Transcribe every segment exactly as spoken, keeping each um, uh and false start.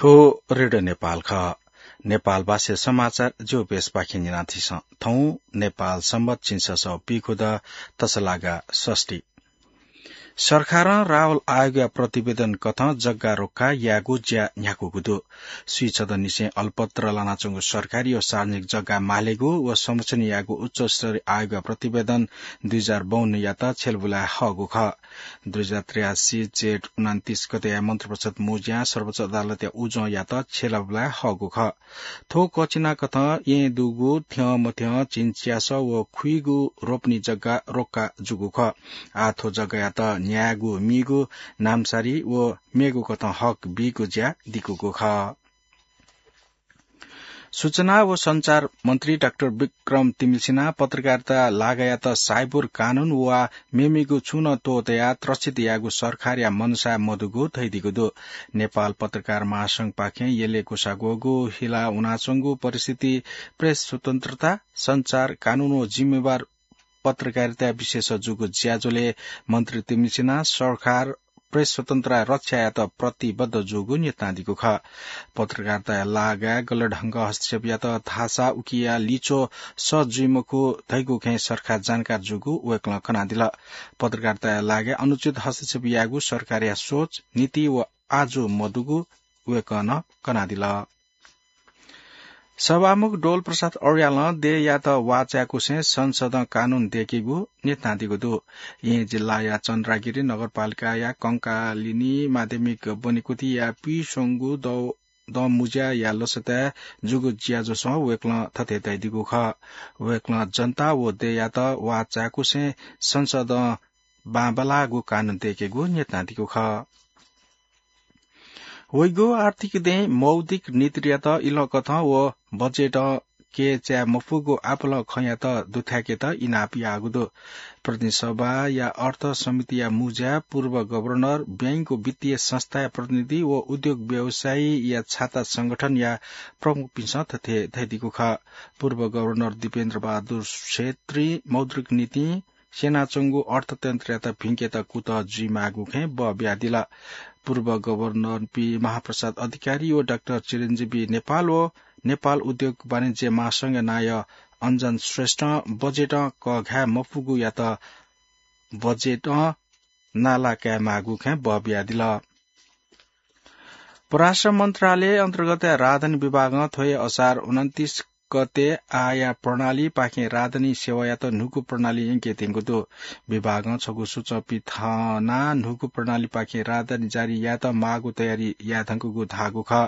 थ्व रेडियो नेपाल खः। नेपाल भाषा समाचार ज्यू बेसपाखें न्यनाथिसँ। थौं नेपाल संवत झिंछसः पीखुद तसलागा षष्ठी। सरकारं राहुल आयोगया प्रतिवेदन कथं जग्गा रोक्का यायेगु ज्या न्ह्याकूगु दु। स्वीछदँनिसें अलपत्र लानाच्वंगु सरकारी व सार्वजनिक जग्गा मालेगु व संरक्षण यायेगु उच्चस्तरीय आयोगया प्रतिवेदन दुई हजार बाउन्नयात छ्यलाबुलाय् हःगु खः। दुई हजार त्रियासी जेठ उनान्तिस गते मन्त्रिपरिषद मुँज्यां सर्वोच्च अदालतया उजंयात छ्यलाबुलाय् हःगु खः। थ्व कचिना कथं येँ दुगु थ्यं मथ्यं झिंच्यासः व खुइगु रोपनी जग्गा रोक्का जूगु खः। आः थ्व जग्गायात न्ह्यायेगु मीगु नामसारी व मेगु कथं हक बीगु ज्या दिकूगु खः। सूचना व सञ्चार मन्त्री डाक्टर विक्रम तिमिल्सिनां पत्रकारिता लागायात साइबर कानून वा मेमेगु छुं नं त्वःतयाः त्रसित यायेगु सरकारया मनसाय मदुगु धयादीगु दु। नेपाल पत्रकार महासंघपाखें यलय् ग्वसाः ग्वःगु हिला वनाच्वंगु परिस्थिति प्रेस स्वतन्त्रता, सञ्चार कानून व जिम्मेवार पत्रकारिता विशेष जूगु ज्याझ्वलय् मन्त्री तिमिल्सिनां सरकार प्रेस स्वतन्त्रता रक्षा यायेत प्रतिबद्ध जूगु न्यनादीगु खः। पत्रकारिताया लागाय् गलत ढंगं हस्तक्षेप यात धाःसा उकिया लिच्वः सह जुइ मखु धइगु खँय् सरकार जानकार जूगु वय्कलं कनादिल। पत्रकारिताया लागाय् अनुचित हस्तक्षेप यायेगु सरकारया सोच, नीति व आजु मदुगु वय्कलं कनादिल। सभामुख डोल प्रसाद अर्यालं देय्‌यात वाः चाय्‌कुसें संसदं कानून दय्‌केगु न्यनादीगु दु। येँ जिल्लाया चन्द्रागिरी नगरपालिकाया कंकालिनी माध्यमिक ब्वनेकुथिया पीस्वंगू दँ मुँज्याया लसताय् जूगु ज्याझ्वलय् वय्कलं थथे धयादीगु खः। वय्कलं जनता व देय्‌यात वाः चाय्‌कुसें संसदं बांबलाःगु कानून दय्‌केगु न्यनादीगु खः। वइगु आर्थिक दँय् मौद्रिक नीतियात इलंकथं व बजेटं कय् चाये मफुगु आपालं खँयात दुथ्याकेत इनाप याःगु दु। प्रतिनिधि सभाया अर्थ समितिया मुँज्याय् पूर्व गभर्नर, बैंक व वित्तीय संस्थाया प्रतिनिधि व उद्योग व्यवसायीया छाता संगठनया प्रमुखपिन्सं थथे धयादीगु खः। पूर्व गभर्नर दिपेन्द्र बहादुर छेत्रीं मौद्रिक नीतिं स्यनाच्वंगु अर्थतन्त्रयात भिंकेत कुतः जुइमाःगु खँय् बः बियादिल। पूर्व गभर्नर पी महाप्रसाद अधिकारी व डाक्टर चिरञ्जीवी नेपाल व नेपाल उद्योग वाणिज्य महासंघया नायः अञ्जन श्रेष्ठं बजेटं कःघाये मफुगुयात बजेटं नाला कायेमाःगु खँय् बः बियादिल। परराष्ट्र मन्त्रालय अन्तर्गतया राजधानी विभागं थ्व हे असार उनन्तिस गते आया प्रणालीपाखें राजधानी सेवायात न्हूगु प्रणाली यंकेत्यंगु दु। विभागं छगू सूचं पिथनाः न्हूगु प्रणालीपाखें राजधानी जारी यायेत माःगु तयारी यायेधुंकूगु धाःगु खः।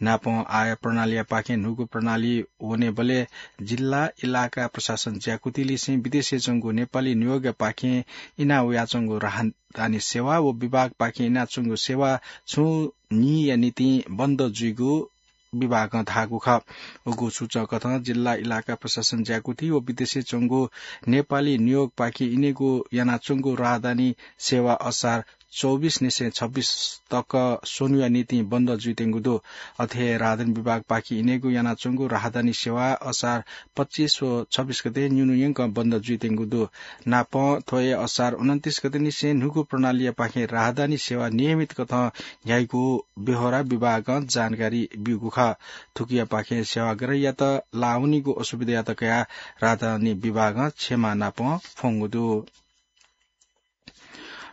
नापं आया प्रणालीयापाखें न्हूगु प्रणाली वनेबलय् जिल्ला इलाका प्रशासन ज्याकुथिलिसें विदेशय् च्वंगु नेपाली नियोगयापाखें इना वयाच्वंगु राहदानी सेवा व विभागपाखें इनाच्वंगु सेवा छुं न्हिया निंतिं बन्द जुइगु विभागं धाःगु खः। उगु सूचंकथं जिल्ला इलाका प्रशासन ज्याकुथि व विदेशय् च्वंगु नेपाली नियोगपाखें इनेगु यानाच्वंगु राहदानी सेवा असार चौबिस निसें छब्बिस तक स्वन्हुया निंतिं बन्द जुइत्यंगु दु। अथे हे राहदानी विभागपाखें इनेगु यानाच्वंगु राहदानी सेवा असार पच्चिस व छब्बिस गते न्यून्हु यंकं बन्द जुइत्यंगु दु। नापं थ्व हे असार उनन्तिस गते निसें न्हूगु प्रणालीयापाखें राहदानी सेवा नियमित कथं न्ह्याइगु बेहोरा विभागं जानकारी ब्यूगु खः। थुकियापाखें सेवाग्राहीयात लाः वनीगु असुविधायात कयाः राहदानी विभागं क्षमा नापं फ्वंगु दु।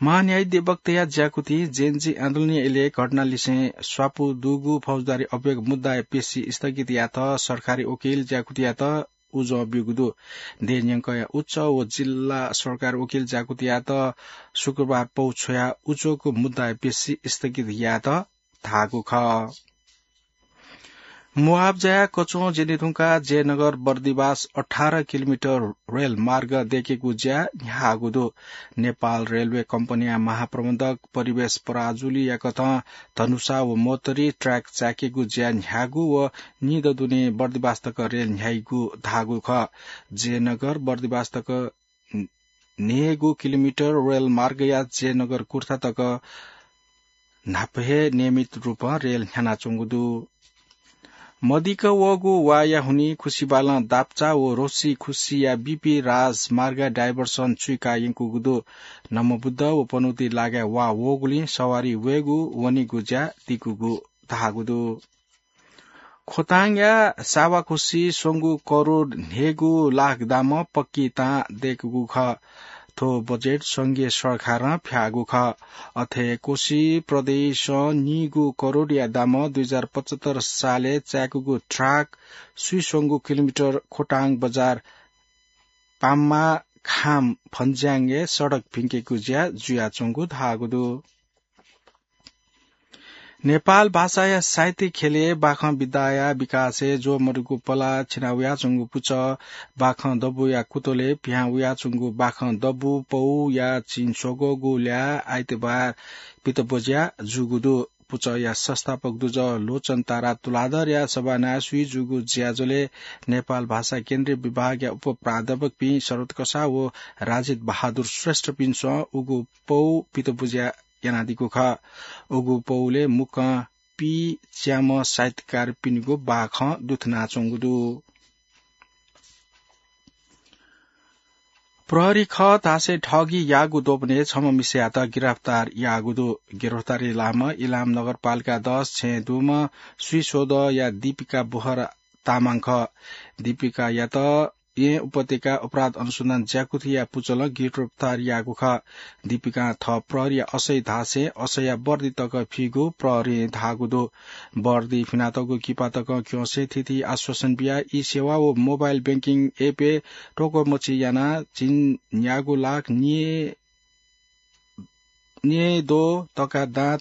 महान्यायाधिपतया ज्याकुथिं जेनजी आन्दोलनया इलय् घटनालिसें स्वापू दुगु फौजदारी अभियोग मुद्दाया पेशी स्थगित यायेत सरकारी वकिल ज्याकुथियात उजं ब्यूगु दु। देय् न्यंकया उच्च व जिल्ला सरकारी वकिल ज्याकुथियात शुक्रबार पौ छ्वयाः उच्चको मुद्दाया पेशी स्थगित यायेत धाःगु खः। मुआब्जाया कच्वं ज्यने धुंकाः जयनगर बर्दिवास अठार किलोमिटर रेल मार्ग दय्‌केगु ज्या न्ह्याःगु दु। नेपाल रेलवे कम्पनीया महाप्रबन्धक परिवेश पराजुलीया कथं धनुषा व मोटरी ट्र्याक चाय्‌केगु ज्या न्ह्याःगु व निदँ दुने बर्दिवास तक रेल न्ह्याइगु धाःगु खः। जयनगर बर्दिवास तक न्हय्‌गू किलोमिटर रेल मार्गया जयनगर कुर्था तक न्हापा हे नियमित रूपं रेल न्ह्यानाच्वंगु दु। मदिक्क वःगु वाःया हुनिं खुसिबालं दाप्चा व रोसी खुसिया बीपी राजमार्ग डाइभर्सन चुइका यंकूगु दु। नमोबुद्ध व पनौती लागाय् वाः वःगुलिं सवारी वयेगु वनेगु ज्या दिकूगु धाःगु दु। खोटाङया सावाकोशी स्वंगू करोड न्हय्गू लाख दामं पक्की तां दय्कूगु खः। थ्व बजेट संघीय सरकारं फ्याःगु खः। अथे कोशी प्रदेशं नीगू करोडया दामं दुई हजार पचहत्तर सालय् चाय्कूगु ट्र्याक स्वीस्वंगू किलोमिटर खोटाङ बजार पाम्मा खाम फन्ज्याङय् सडक भिंकेगु ज्या जुयाच्वंगु धाःगु दु। नेपाल भाषाया साहित्य ख्यलय् बाखं विधाया विकासय् ज्वः मदुगु पला छिना वयाच्वंगु पुचः बाखं दबूया कुतलय् पिहां वयाच्वंगु बाखं दबू पौया चिं स्वगःगु ल्याः आइतबार पितब्वज्या जूगु दु। पुचःया संस्थापक दुजः लोचन तारा तुलाधरया सभानाय् स्वीजूगु ज्याझ्वलय् नेपाल भाषा केन्द्रीय विभागया उपप्राध्यापकपिं शरद कसाः व राजित बहादुर श्रेष्ठपिन्सं उगु पौ पितब्वज्या यानादीगु खः। उगु पौलय् मुक्कं पीच्याम्ह साहित्यकारपिनिगु बाखं दुथनाच्वंगु दु। प्रहरी खः धासें ठगी याःगु द्वपनय् छम्ह मिसायात गिरफ्तार याःगु दु। गिरफ्तारी लाःम्ह इलाम नगरपालिका दस छेँ दुम्ह स्वीस्वदँया दीपिका बोहरा तामाङ खः। दीपिकायात येँ उपत्यका अपराध अनुसन्धान ज्याकुथिया पुचलं गिरफ्तार याःगु खः। दीपिकां थः प्रहरीया असै धासें असैया बर्दी तक फीगु प्रहरीं धाःगु दु। बर्दी फिनातःगु किपा तकं क्यंसे थीथी आश्वासन बियाः ई सेवा व मोबाइल बैंकिङ एपय् टोकमछि यानाः झिंन्यागू लाख न्ये न्येद्वः तका दां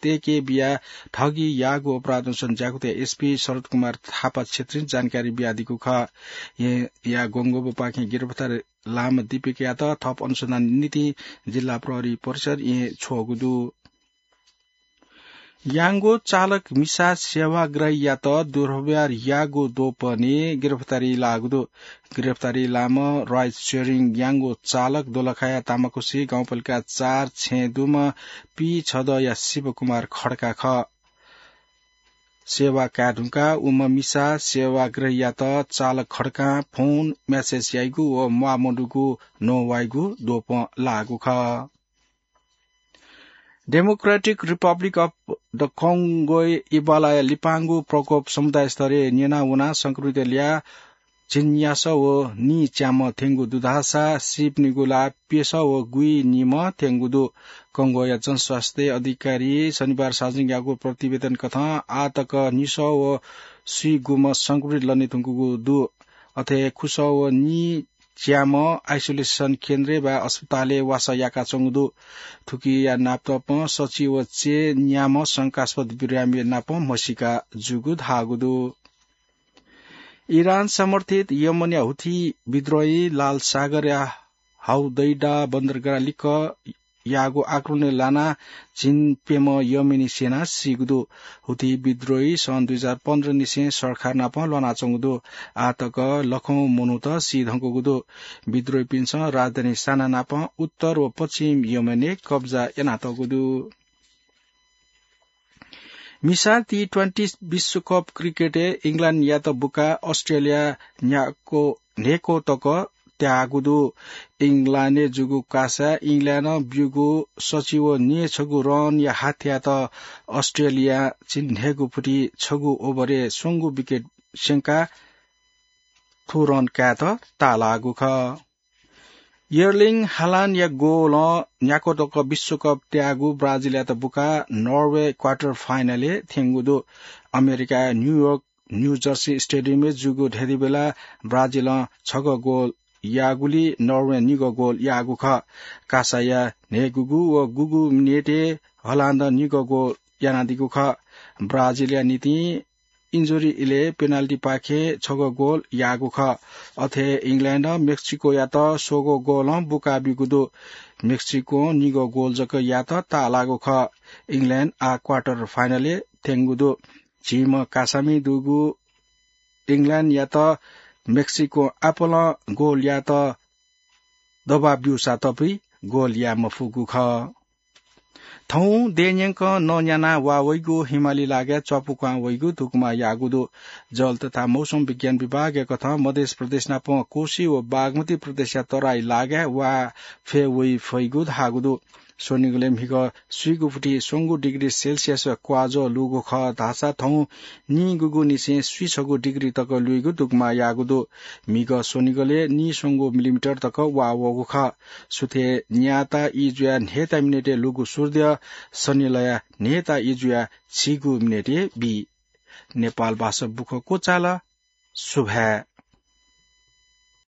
तय्के बियाः ठगी याःगु अपराध अनुसन्धान ज्याकुथिया एसपी शरद कुमार थापा क्षेत्रीं जानकारी बियादीगु खः। येँया ग्वंग्वंबपाखें गिरफ्तार लाःम्ह दीपिकायात थप अनुसन्धान निंतिं जिल्ला प्रहरी परिसर येँ छ्वःगु दु। याङ्गो चालक मिसा सेवाग्राहीयात दुर्व्यवहार याःगु द्वपनय् गिरफ्तारी लाःगु दु। गिरफ्तारी लाःम्ह राइड सेयरिङ याङ्गो चालक दोलखाया तामाकोशी गाउँपालिका चार छेँ दुम्ह पीछदँया शिवकुमार खड्का खः। सेवा काये धुंकाः उम्ह मिसा सेवाग्राहीयात चालक खड्कां फोन, म्यासेज याइगु व म्वाःमदुगु नवाइगु द्वपं लाःगु खः। डेमोक्रेटिक रिपब्लिक अफ द कङ्गोय् इबालाया लिपांगु प्रकोप समुदाय स्तरय् न्यना वनाः संक्रमितया ल्याः झिंन्यासः व नीच्याम्ह थ्यंगु दुधासा सीपिनिगु ला प्यसः व गुइनिम्ह थ्यंगु दु। कङ्गोया जनस्वास्थ्य अधिकारी शनिबार सार्वजनिक याःगु प्रतिवेदन कथं आः तक निसः व स्वीगुम्ह संक्रमित लने धुंकूगु दु। अथे खुसः व नी च्याम्ह आइसोलेसन केन्द्रय् वा अस्पतालय् वासः याकाच्वंगु दु। थुकिया नापतपं सछि व चय्न्याम्ह शंकास्पद बिरामीया नापं म्हसीका जूगु धाःगु दु। इरान समर्थित यमनया हुथी विद्रोही लाल सागरया हौदैडा बन्दरगाह लिक्क याःगु आक्रमणय् लानाः झिंप्यम्ह यमनी सेना सीगु दु। हुथी विद्रोही सन् दुई हजार पन्ध्र निसें सरकार नाप ल्वानाच्वंगु दु। आः तक लखौं मनूत सी धुंकूगु दु। विद्रोहीपिन्सं राजधानी साना नाप उत्तर व पश्चिम यमनय् कब्जा यानातःगु दु। मिसा टी ट्वेन्टी विश्वकप क्रिकेटय् इङ्ल्याण्डयात बुकाः अस्ट्रेलिया न्ह्याक्व न्हय्क्व तक त्याःगु दु। इङ्ल्याण्डय् जूगु कासाय् इङ्ल्याण्डं ब्यूगु सछि व न्येछगू रनया हाथयात अस्ट्रेलियां झिंन्हय्गू फुति छगू ओभरय् स्वंगू विकेट स्यंकाः थ्व रन कायेत ताःलाःगु खः। एर्लिङ हालान्डया गोलं न्ह्याक्व तक विश्वकप त्याःगु ब्राजिलयात बुकाः नर्वे क्वार्टर फाइनलय् थ्यंगु दु। अमेरिकाया न्यूयोर्क न्यू जर्सी स्टेडियमय् जूगु धयादी बेला ब्राजिलं छगः गोल याःगुलिं नर्वें निगः गोल याःगु खः। कासाया न्हय्गूगु व गुगु मिनेटय् हलान्दं निगः गोल यानादीगु खः। ब्राजिलया निंतिं इन्जुरी इलय् पेनाल्टीपाखें छगः गोल याःगु खः। अथे इङ्ल्याण्डं मेक्सिकोयात स्वंगू गोलं बुका ब्यूगु दु। मेक्सिकों निगः गोल जक यायेत ताःलाःगु खः। इङ्ल्याण्ड आः क्वार्टर फाइनलय् थ्यंगु दु। झीम्ह कासामि दुगु इङ्ल्याण्डयात मेक्सिकों आपालं गोल यायेत दबाब ब्यूसा तःपि गोल याये मफुगु खः। थौं देय् न्यंकं नँ न्यानाः वा वइगु हिमाली लागाय् च्वापु क्वहां वइगु धुकुमा याःगु दु। जल तथा मौसम विज्ञान विभागया कथं मधेस प्रदेश नापं कोशी व बागमती प्रदेशया तराई लागाय् वा फय् वइ फइगु धाःगु दु। स्वनिगलय् म्हिगः स्वीगु फुति स्वंगु डिग्री सेल्सियस क्वाजः लूगु खः धाःसा थौं नीगूगु निसें स्वीछगू डिग्री तक लुइगु दुगुमा याःगु दु। म्हिगः स्वनिगलय् नीस्वंगू मिलिमिटर तक वा वःगु खः। सुथय् न्याता ई जुयाः न्हय्ता मिनेटय् लुगु सूर्य सनिलया न्हय्ता ई जुयाः झिगू मिनेटय् बी। नेपाल भाषा बुखँ क्वचाल। सुभाय्।